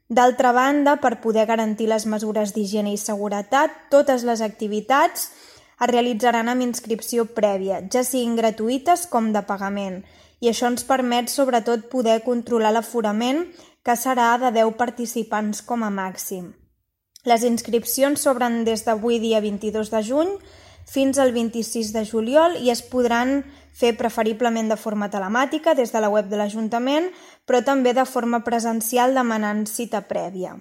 D'altra banda, per poder garantir les mesures d'higiene i seguretat, totes les activitats es realitzaran amb inscripció prèvia, ja siguin gratuïtes com de pagament, i això ens permet sobretot poder controlar l'aforament, que serà de 10 participants com a màxim. Les inscripcions s'obren des d'avui dia 22 de juny fins al 26 de juliol i es podran fer preferiblement de forma telemàtica des de la web de l'Ajuntament, però també de forma presencial demanant cita prèvia.